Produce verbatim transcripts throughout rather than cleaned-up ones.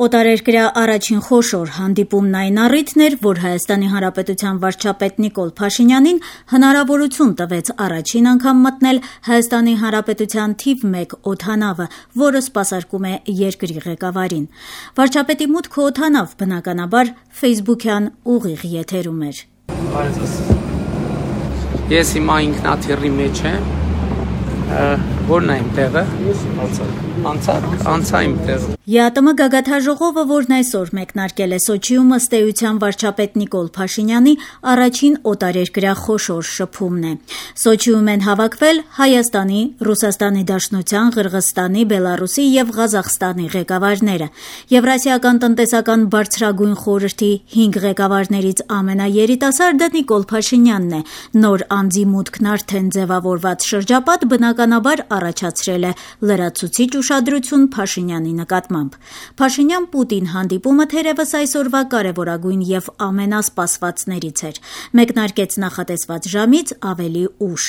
Օտարերկրյա առաջին խոշոր հանդիպումն այն առիթն էր, որ Հայաստանի Հանրապետության վարչապետ Նիկոլ Փաշինյանին հնարավորություն տվեց առաջին անգամ մտնել Հայաստանի Հանրապետության թիվ մեկ օդանավը, որը սպասարկում է երկրի ղեկավարին։ Վարչապետի մուտքը օդանավ բնականաբար ֆեյսբուքյան ուղիղ եթերում էր։ Ես հիմա ինքնաթիռի մեջ եմ, որն է իմ տեղը, անցակ, անցա իմ տեղը։ ԵԱՏՄ գագաթաժողովը, որն այսօր մեկնարկել է Սոչիում, ըստ էության վարչապետ Նիկոլ Փաշինյանի առաջին օտարերկրյա խոշոր շփումն է։ Սոչիում են հավաքվել Հայաստանի, Ռուսաստանի Դաշնության, Ղրղըզստանի, Բելառուսի եւ Ղազախստանի ղեկավարները։ Եվրասիական տնտեսական բարձրագույն խորհրդի հինգ ղեկավարներից ամենաերիտասարդը Նիկոլ Փաշինյանն է։ Նոր անձի մուտքն արդեն ձևավորված շրջապատ բնականաբար առաջացրել է լրացուցիչ ուշադրություն Փաշինյանի նկատմամբ։ Փաշինյան-Պուտին հանդիպումը թերևս այսօրվա կարևորագույն եւ ամենասպասվածներից էր։ Մեկնարկեց նախատեսված ժամից ավելի ուշ։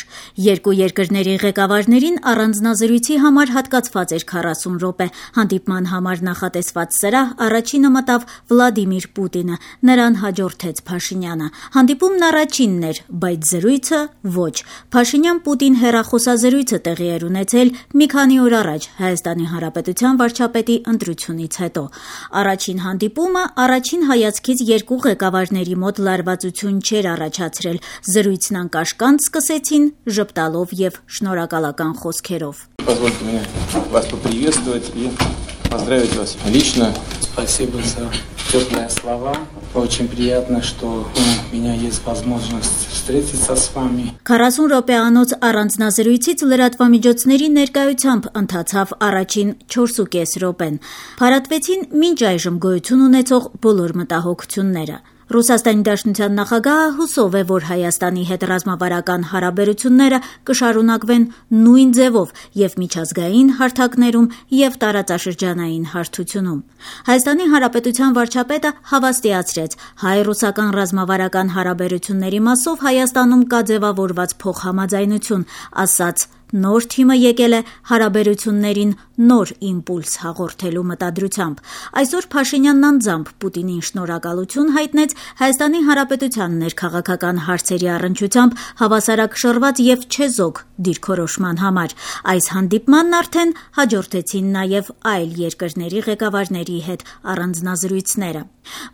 Երկու երկրների ղեկավարներին առանձնազրույցի համար հատկացված էր քառասուն րոպե։ Հանդիպման համար նախատեսված սրահ առաջինը մտավ Վլադիմիր Պուտինը, նրան հաջորդեց Փաշինյանը։ Հանդիպումն առաջինն էր, բայց զրույցը ոչ։ Փաշինյան-Պուտին հեռախոսազրույցը տեղի էր ունեցել մի քանի օր առաջ Հայաստանի Հանրապետության վարչապետի ընտրությունից հետո։ Առաջին հանդիպումը առաջին հայացքից երկու ղեկավարների մոտ լարվածություն չէր առաջացրել։ Զրույցն անկաշկանդ սկսեցին ժպտալով եւ շնորհակալական խոսքերով։ Позвольте мне вас поприветствовать и поздравить вас лично. Спасибо за теплые слова. Очень приятно, что у меня есть возможность встретиться с вами. քառասուն րոպեանոց առանձնազրույցից լրատվամիջոցների ներկայությամբ ընթացավ առաջին չորսուկես րոպեն։ Փարատվեցին մինչ այժմ գոյություն ունեցող բոլոր մտահոգությունները։ Ռուսաստանի Դաշնության նախագահը հուսով է, որ Հայաստանի հետ ռազմավարական հարաբերությունները կշարունակվեն նույն ձևով եւ միջազգային հարթակներում եւ տարածաշրջանային հարթությունում։ Հայաստանի Հանրապետության վարչապետը հավաստիացրեց, հայ-ռուսական ռազմավարական հարաբերությունների մասով Հայաստանում կա ձևավորված փոխհամաձայնություն, ասաց նոր թիմը եկել է հարաբերություններին նոր իմպուլս հաղորդելու մտադրությամբ։ Այսօր Փաշինյանն անձամբ Պուտինին շնորհակալություն հայտնեց Հայաստանի Հանրապետության ներքաղաքական հարցերի առնչությամբ հավասարակշռված եւ չեզոք դիրքորոշման համար։ Այս հանդիպմանն արդեն հաջորդեցին նաեւ այլ երկրների ղեկավարների հետ առանձնազրույցները։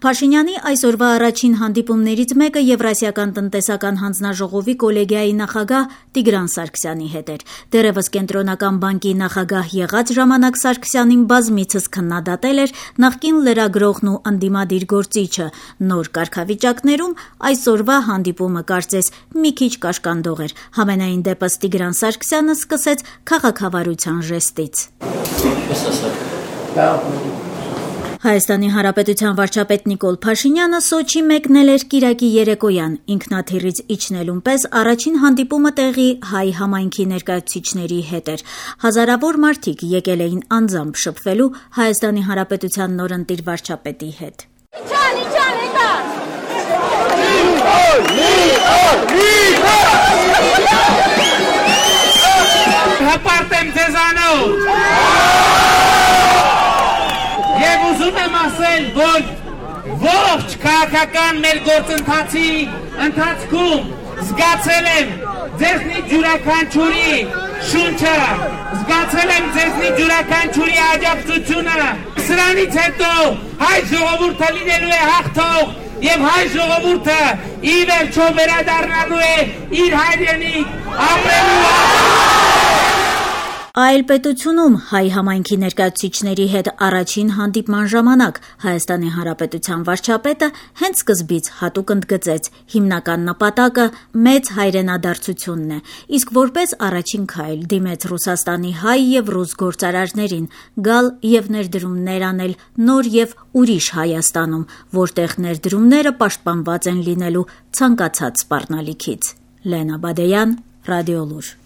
Փաշինյանի այսօրվա առաջին հանդիպումներից մեկը Եվրասիական տնտեսական հանձնաժողովի կոլեգիայի նախագահ Տիգրան Սարգսյանի հետ էր։ Դեռևս Կենտրոնական բանկի նախագահ եղած ժամանակ Սարգսյանին բազմիցս քննադատել էր նախկին լրագրողն ու ընդդիմադիր գործիչը։ Նոր կարգավիճակներում այսօրվա հանդիպումը կարծես մի քիչ կաշկանդող էր։ Համենայն դեպս Տիգրան Սարգսյանը սկսեց քաղաքավարության ժեստից։ Հայաստանի Հանրապետության վարչապետ Նիկոլ Փաշինյանը Սոչի մեկնել էր կիրակի երեկոյան, ինքնաթիռից իջնելուն պես առաջին հանդիպումը տեղի հայ համայնքի ներկայացուցիչների հետ էր։ Հազարավոր մարդիկ եկել էին անձամբ շփվելու Հայաստանի Հանրապետության նորընտիր վարչապետի հետ։ Հպարտեմ ձեզանով։ Եվ ուզում եմ ասել, որ ողջ քաղաքական մեր գործընթացի ընթացքում զգացել եմ ձեզնի յուրաքանչյուրի շունչը, զգացել եմ ձեզնի յուրաքանչյուրի աջակցությունը։ Սրանից հետո հայ ժողովուրդը լինելու է հաղթող եւ հայ ժողովուրդը ի վերջո վերադառնալու է իր հայրենիք ապրելու։ Այլ պետությունում հայ համայնքի ներկայացուցիչների հետ առաջին հանդիպման ժամանակ Հայաստանի Հանրապետության վարչապետը հենց սկզբից հատուկ ընդգծեց հիմնական նպատակը մեծ հայրենադարձությունն է, իսկ որպես առաջին քայլ դիմեց Ռուսաստանի հայ եւ ռուս գործարարներին գալ եւ ներդրումներ անել նոր եւ ուրիշ Հայաստանում, որտեղ ներդրումները պաշտպանված են լինելու ցանկացած սպառնալիքից։ Լենա Բադեյան, Ռադիոլուր։